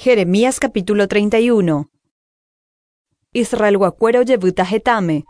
Jeremías capítulo 31. Israelguakuéra ojevýta hetãme.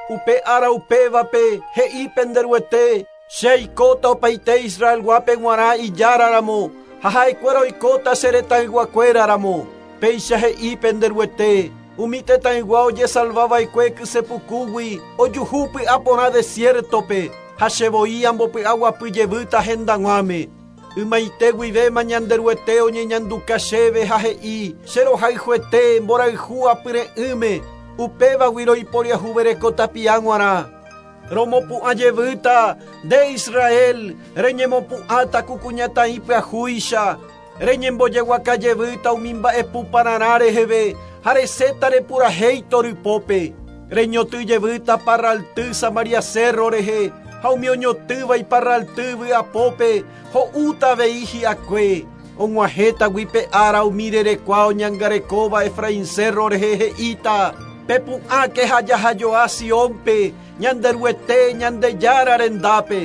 Upe ára upévape, he'i pende Ruete, Che aikóta opaite Israelguápe g̃uarã Ijára ramo, ha ha'ekuéra oikóta che retãyguakuéra ramo. Péicha he'i pende Ruete, Umi tetãygua ojesalva va'ekue kyse pukúgui ojuhu py'aporã desiértope, ha che voi ambopy'aguapy jevýta hendag̃uáme. Ymaite guivéma Ñanderuete oñeñanduka chéve ha he'i, Che rohayhuete, mborayhu apyre'ỹme, upévagui roiporiahuvereko tapia g̃uarã. Romopu'ã jevýta, nde Israel, reñemopu'ãta ku kuñataĩ pyahúicha, reñembojeguaka jevýta umi mba'epu pararã reheve ha resẽta repurahéi torypópe. Reñoty jevýta parralty Samaria cérro rehe, ha umi oñotýva iparralty vy'apópe ho'úta avei hi'akue. Og̃uahẽtagui pe ára umi rerekua oñangarekóva Efraín cérro rehe he'íta, Pepu'ãke ha jahajoa Siónpe, Ñanderuete, Ñandejára rendápe.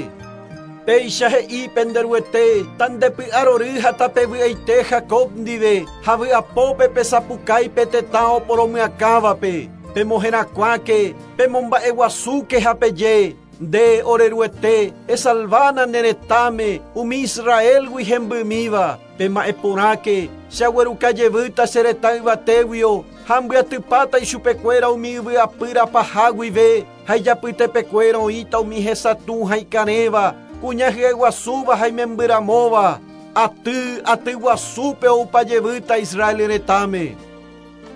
Péicha he'i pende Ruete, Tandepy'arory ha tapevy'aite Jacob ndive, ha vy'apópe pesapukái pe tetã oporomyakãvape. Pemoherakuãke, pemomba'eguasúke ha peje, Nde, ore Ruete, esalvána ne retãme, umi Israélgui hembymíva. Pema'ẽ porãke, che agueruka jevýta che retã yvatéguio, ha ambyatypáta ichupekuéra umi yvy apýra paha guive, ha ijapytepekuéra oĩta umi hesatũ ha ikarẽva, kuña hyeguasúva ha imembyramóva. Aty, aty guasúpe oupa jevýta Israel retãme.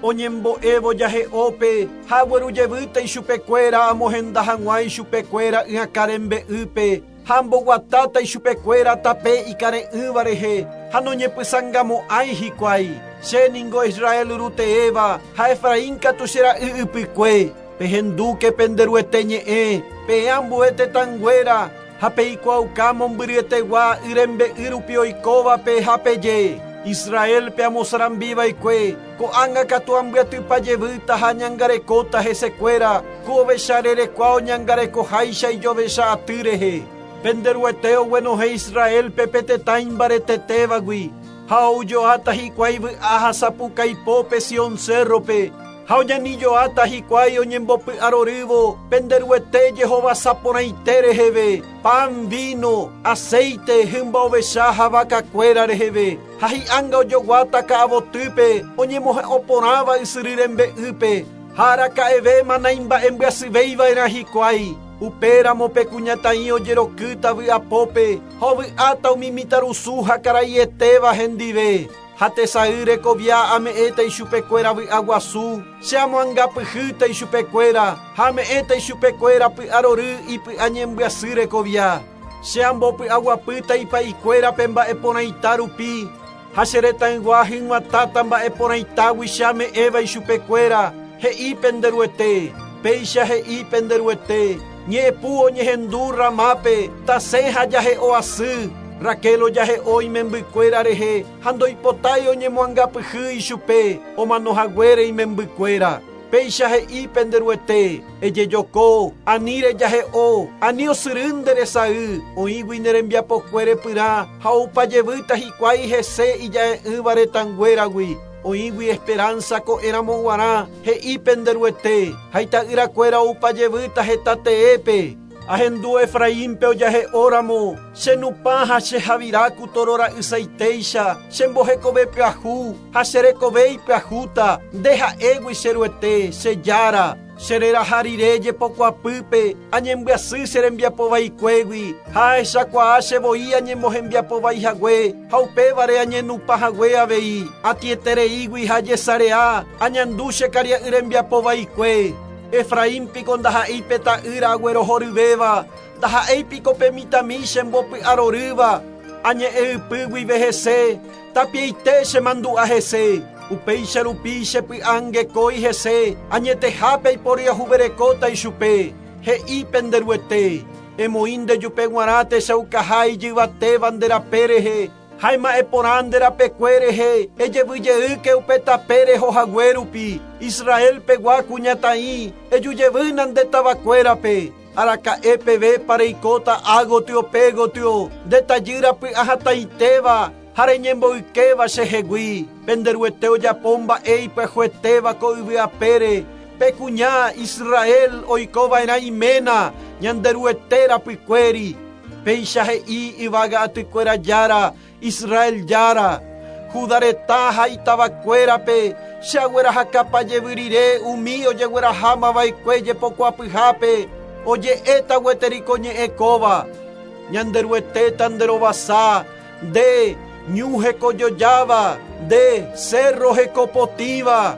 Oñembo'évo jahe'ópe ha agueru jevýta ichupekuéra amohenda hag̃ua ichupekuéra y'akã rembe'ýpe, ha amboguatáta ichupekuéra tape ikare'ỹva rehe, ha noñepysangamo'ãi hikuái. Che ningo Israel ruteéva, ha Efraín katu che ra'y ypykue. Pehendúke pende Ruete ñe'ẽ, peẽ ambue tetãnguéra, ha peikuaauka mombyryetegua y rembe'y rupi oikóvape ha peje, Israélpe amosarambi va'ekue, ko'ág̃a katu ambyatypa jevýta ha añangarekóta hesekuéra, ku ovecha rerekua oñangarekoháicha ijovecha aty rehe. Pende Ruete oguenohẽ Israélpe pe tetã imbaretetévagui, ha oujoáta hikuái vy'a ha sapukaipópe Sion cérrope, Ha oñanijoáta hikuái oñembopy'arorývo pende Ruete jehovasa porãite reheve, pan, víno, aséite, hymba ovecha ha vakakuéra reheve, ha hi'ánga ojoguáta ka'avotýpe oñemohe'õ porãva ysyry rembe'ýpe, ha araka'evéma naimba'embyasyvéi va'erã hikuái. Upéramo pe kuñataĩ ojerokýta vy'apópe ha ovy'áta umi mitãrusu ha karaietéva hendive. Ha tesay rekovia ame'ẽta ichupekuéra vy'a guasu, che amoangapyhýta ichupekuéra, ha ame'ẽta ichupekuéra py'arory ipy'a ñembyasy rekovia. Che ambopy'aguapýta ipa'ikuérape mba'e porãita rupi, ha che retãygua hyg̃uatãta mba'e porãitágui che ame'ẽva ichupekuéra, he'i pende Ruete. Péicha he'i pende Ruete, Ñe'ẽpu oñehendu Ramápe, tasẽ ha jahe'o asy, Raquel ojahe'o imembykuéra rehe ha ndoipotái oñemoangapyhy ichupe omano haguére imembykuéra. Péicha he'i pende Ruete, Ejejoko, ani rejahe'o, ani osyry nde resay, oĩgui ne rembiapokue repyrã ha oupa jevýta hikuái hese ija'e'ỹva retãnguéragui. Oĩgui esperánsa ko'ẽramo guarã, he'i pende Ruete, ha ita'yrakuéra oupa jevýta heta teépe. Ahendu Efraínpe ojahe'óramo, che nupã ha che havira ku tóro ra'ysaitéicha, che mbohekove pyahu ha che rekove ipyahúta, nde ha'égui che Ruete, che Jára. Che reraha rire jepokuapýpe, añembyasy che rembiapo vaikuégui, ha ahechakuaa che voi añemohembiapo vai hague, ha upévare añenupã hague avei, atĩetereígui ha ajesarea, añandu che karia'y rembiapo vaikue. Efraín piko ndaha'éi pe ta'ýra aguerohoryvéva, ndaha'éi piko pe mitãmi chembopy'arorýva, añe'ẽ ypy guive hese, tapiaite chemandu'a hese. Upéicha rupi che py'angekói hese, añetehápe aiporiahuverekóta ichupe, he'i pende Ruete. Emoĩ nde jupe g̃uarã techaukaha ijyvatéva nde rape rehe, Ha ema'ẽ porã nde rapekue rehe, ejevy jeýke upe tape reho hague rupi, Israel pegua kuñataĩ, eju jevýna nde tavakuérape. Araka'e pevépa reikóta ágotyo pégotyo, nde tajýra py'ahatãitéva? Ha reñemboykéva chehegui, pende Ruete ojapo mba'e ipyahuetéva ko yvy apére, pe kuña Israel oikova'erã iména Ñanderuete rapykuéri. Péicha he'i yvága atykuéra Jára, Israel Jára, Judá retã ha itavakuérape, che aguerahakapa jevy rire umi ojeguerahámava'ekue jepokuapyhápe, oje'éta gueteri ko ñe'ẽ kóva, Ñanderuete tanderovasa, nde, ñu hekojojáva, nde, cerro hekopotĩva.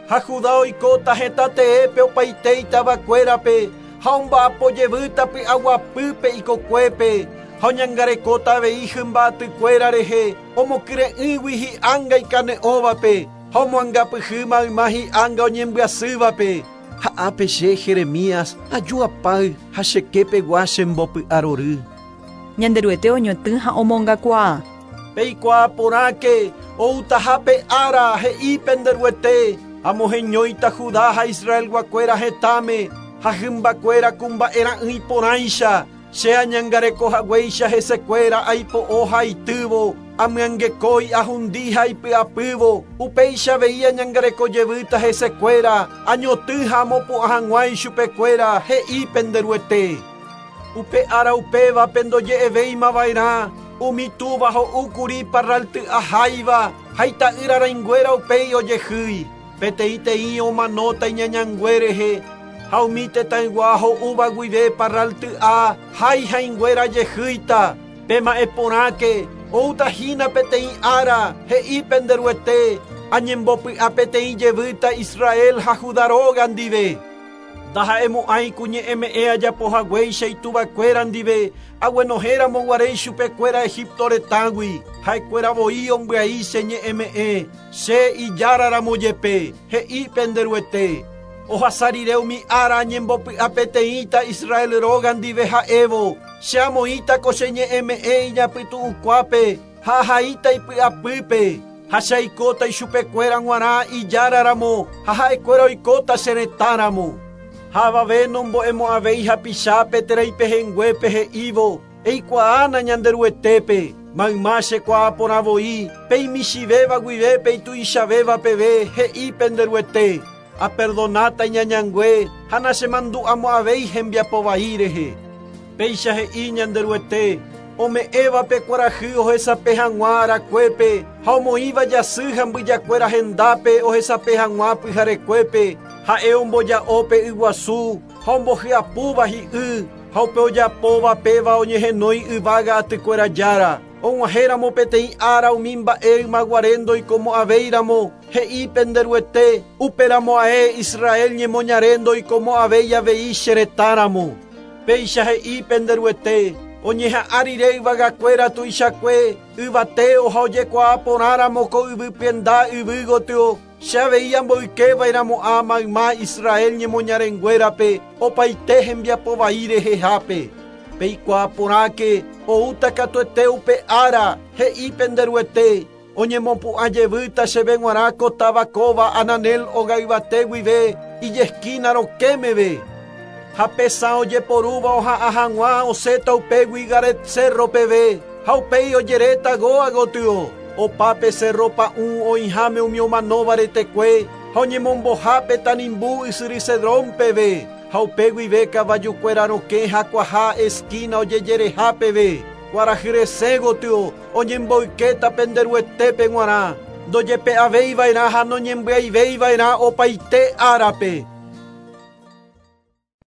Ha Judá oikóta hetã teépe opaite itavakuérape, ha omba'apo jevýta py'aguapýpe ikokuépe, ha oñangarekóta avei hymba atykuéra rehe, omokyre'ỹgui hi'ánga ikane'õvape, ha omoangapyhy mayma hi'ánga oñembyasývape. Ha ápe che, Jeremías, aju apáy ha che kepegua chembopy'arory. Ñanderuete oñotỹ ha omongakuaa. Peikuaa porãke, outaha pe ára, he'i pende Ruete, amoheñóita Judá ha Israelguakuéra hetãme, ha hymbakuéra ku mba'era'ỹi porãicha, che añangareko haguéicha hesekuéra aipo'o ha aitývo, amyangekói ahundi ha aipy'apývo, upéicha avei añangareko jevýta hesekuéra, añotỹ ha amopu'ã hag̃ua ichupekuéra, he'i pende Ruete. Upe ára upévape ndoje'evéimava'erã, umi túva ho'úkuri parralty'a háiva ha ita'ýra rãinguéra upéi ojehýi, peteĩteĩ omanóta iñañangue rehe, ha umi tetãygua ho'úva guive parralty'a hái hãinguéra jehýita, pema'ẽ porãke, oúta hína peteĩ ára, he'i pende Ruete, añembopy'a peteĩ jevýta Israel ha Judá róga ndive. Ndaha'emo'ãi ku ñe'ẽme'ẽ ajapo haguéicha ituvakuéra ndive, aguenohéramo guare ichupekuéra Egipto retãgui, ha'ekuéra voi ombyai che ñe'ẽme'ẽ, che ijáraramo jepe, he'i pende Ruete. Ohasa rire umi ára añembopy'a peteĩta Israel róga ndive ha'évo, che amoĩta ko che ñe'ẽme'ẽ iñapytu'ũkuápe ha ahaíta ipy'apýpe, ha che aikóta ichupekuéra g̃uarã ijáraramo ha ha'ekuéra oikóta che retãramo. Ha avave nombo'emo'ãvéi hapichápe térã ipehẽnguépe he'ívo, Eikuaána Ñanderuetépe, mayma chekuaa porã voi, pe imichĩvéva guive pe ituichavéva peve, he'i pende Ruete, Aperdonáta iñañangue ha nachemandu'amo'ãvéi hembiapo vai rehe. Péicha he'i Ñanderuete, ome'ẽva pe kuarahy ohesape hag̃ua arakuépe ha omoĩva jasy ha mbyjakuéra hendápe ohesape hag̃ua pyharekuépe, ha'e omboja'o pe yguasu ha ombohyapúva hi'y, ha upe ojapóva péva oñehenói yvága atykuéra Jára. Og̃uahẽramo peteĩ ára umi mba'e ymaguare ndoikomo'ãvéiramo, he'i pende Ruete, upéramo ae Israel ñemoñare ndoikomo'ãvéi avei che retãramo. Péicha he'i pende Ruete, oñeha'ã rire yvagakuéra tuichakue, yvateo ha ojekuaa porãramo ko yvy pyenda yvy gotyo, che avei amboykeva'erãmo'ã mayma Israel ñemoñarenguérape opaite hembiapo vai rehehápe. Peikuaa porãke, oúta katuete upe ára, he'i pende Ruete, oñemopu'ã jevýta chéve g̃uarã ko táva kóva Ananel ogayvate guive ijeskína rokẽ meve. Ha pe sã ojeporúva oha'ã hag̃ua osẽta upégui Garet cérro peve, ha upéi ojeréta Goa gotyo, opa pe cérro pa'ũ oĩháme umi omanóva retekue ha oñemombohápe tanimbu ysyry Cedrón peve, ha upe guive kavajukuéra rokẽ hakuaha eskína ojejereha peve, kuarahy resẽ gotyo oñemboykéta pende Ruetépe g̃uarã, ndojepe'aveiva'erã ha noñembyaiveiva'erã opaite árape.